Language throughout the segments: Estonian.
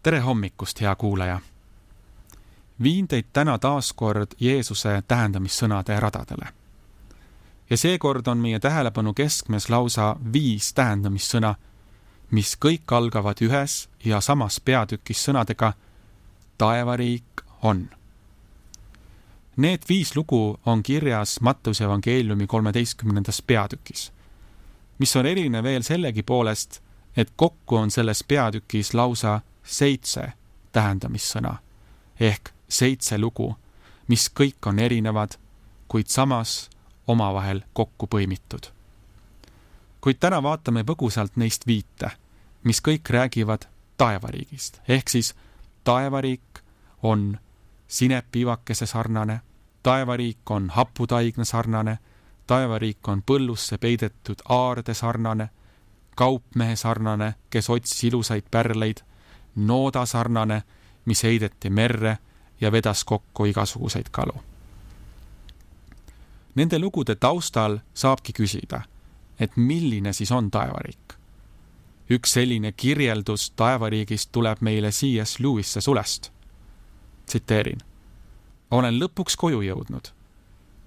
Tere hommikust, hea kuulaja! Viin teid täna taas kord Jeesuse tähendamissõnade radadele. Ja seekord on meie tähelepanu keskmes lausa 5 tähendamissõna, mis kõik algavad ühes ja samas peatükis sõnadega taevariik on. Need 5 lugu on kirjas Mattuse evangeeliumi 13. peatükis, mis on eriline veel sellegi poolest, et kokku on selles peatükis lausa 7 tähendamissõna ehk 7 lugu, mis kõik on erinevad, kuid samas omavahel kokku põimitud. Kuid täna vaatame põgusalt neist 5, mis kõik räägivad taevariigist, ehk siis taevariik on sinepiivakese sarnane, taevariik on haputaigna sarnane, taevariik on põllusse peidetud aarde sarnane, kaupmehe sarnane, kes otsis ilusaid pärleid, nooda sarnane, mis heideti merre ja vedas kokku igasuguseid kalu. Nende lugude taustal saabki küsida, et milline siis on taevariik. Üks selline kirjeldus taevariigist tuleb meile C.S. Lewise sulest. Tsiteerin. Olen lõpuks koju jõudnud.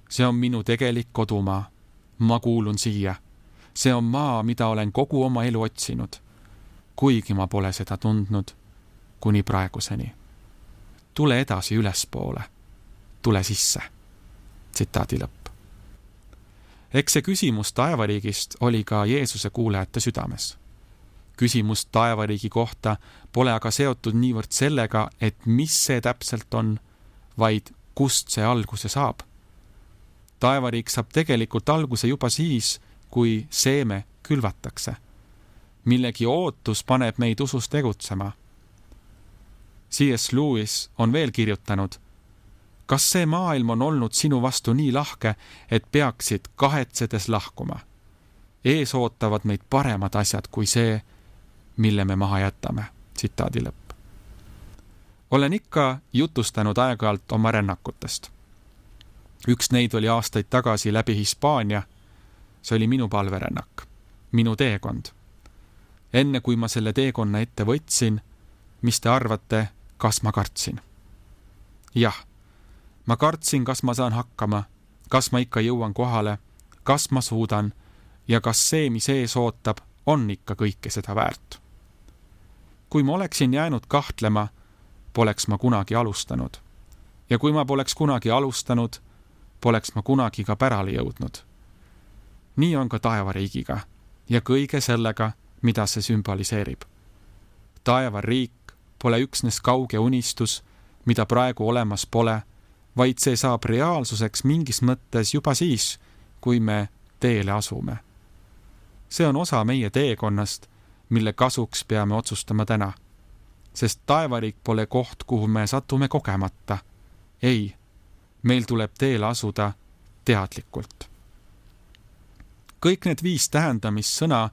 See on minu tegelik kodumaa. Ma kuulun siia. See on maa, mida olen kogu oma elu otsinud, kuigi ma pole seda tundnud kuni praeguseni. Tule edasi ülespoole. Tule sisse. Tsitaadi lõpp. Eks see küsimus taevariigist oli ka Jeesuse kuulajate südames. Küsimus taevariigi kohta pole aga seotud niivõrd sellega, et mis see täpselt on, vaid kust see alguse saab. Taevariik saab tegelikult alguse juba siis, kui seeme külvatakse. Millegi ootus paneb meid usus tegutsema. C.S. Lewis on veel kirjutanud, kas see maailm on olnud sinu vastu nii lahke, et peaksid kahetsedes lahkuma? Ees ootavad meid paremad asjad kui see, mille me maha jätame. Tsitaadi lõpp. Olen ikka jutustanud aeg-ajalt oma rännakutest. Üks neid oli aastaid tagasi läbi Hispaania. See oli minu palverännak, minu teekond. Enne kui ma selle teekonna ette võtsin, mis te arvate, kas ma kartsin? Jah, ma kartsin, kas ma saan hakkama, kas ma ikka jõuan kohale, kas ma suudan ja kas see, mis ees ootab, on ikka kõike seda väärt. Kui ma oleksin jäänud kahtlema, poleks ma kunagi alustanud. Ja kui ma poleks kunagi alustanud, poleks ma kunagi ka pärale jõudnud. Nii on ka taevariigiga ja kõige sellega, mida see sümboliseerib. Taevariik pole üksnes kauge unistus, mida praegu olemas pole, vaid see saab reaalsuseks mingis mõttes juba siis, kui me teele asume. See on osa meie teekonnast, mille kasuks peame otsustama täna. Sest taevariik pole koht, kuhu me satume kogemata. Ei, meil tuleb teele asuda teadlikult. Kõik need 5 tähendamissõna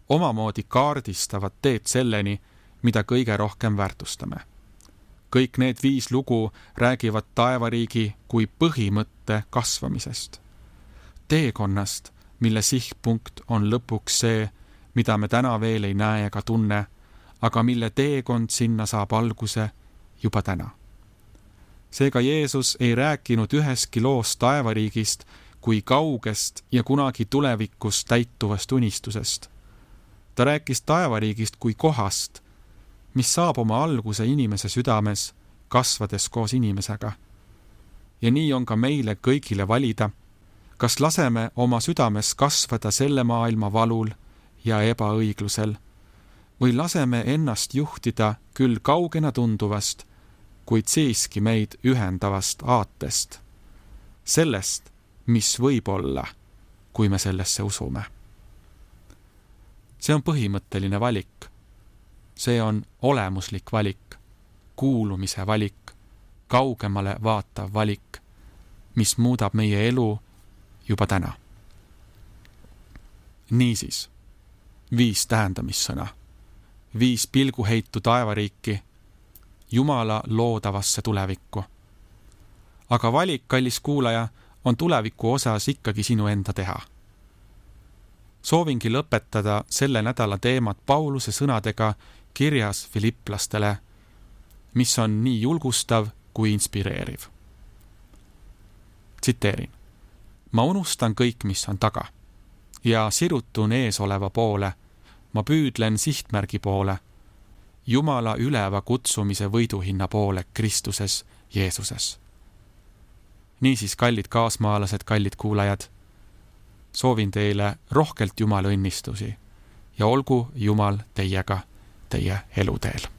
omamoodi kaardistavad teed selleni, mida kõige rohkem väärtustame. Kõik need 5 lugu räägivad taevariigi kui põhimõtte kasvamisest. Teekonnast, mille sihtpunkt on lõpuks see, mida me täna veel ei näe ega tunne, aga mille teekond sinna saab alguse juba täna. Seega Jeesus ei rääkinud üheski loos taevariigist kui kaugest ja kunagi tulevikus täituvast unistusest. Ta rääkis taevariigist kui kohast, mis saab oma alguse inimese südames, kasvades koos inimesega. Ja nii on ka meile kõigile valida, kas laseme oma südames kasvada selle maailma valul ja ebaõiglusel, või laseme ennast juhtida küll kaugena tunduvast, kuid siiski meid ühendavast aatest. Sellest, mis võib olla, kui me sellesse usume. See on põhimõtteline valik. See on olemuslik valik, kuulumise valik, kaugemale vaatav valik, mis muudab meie elu juba täna. Niisiis, 5 tähendamissõna, 5 pilguheitu taevariiki, Jumala loodavasse tulevikku. Aga valik, kallis kuulaja, on tuleviku osas ikkagi sinu enda teha. Soovingi lõpetada selle nädala teemat Pauluse sõnadega kirjas Filipplastele, mis on nii julgustav kui inspireeriv. Tsiteerin. Ma unustan kõik, mis on taga ja sirutun eesoleva poole. Ma püüdlen sihtmärgi poole, Jumala üleva kutsumise võiduhinna poole Kristuses Jeesuses. Niisiis, kallid kaasmaalased, kallid kuulajad, soovin teile rohkelt Jumala õnnistusi ja olgu Jumal teiega teie eluteel.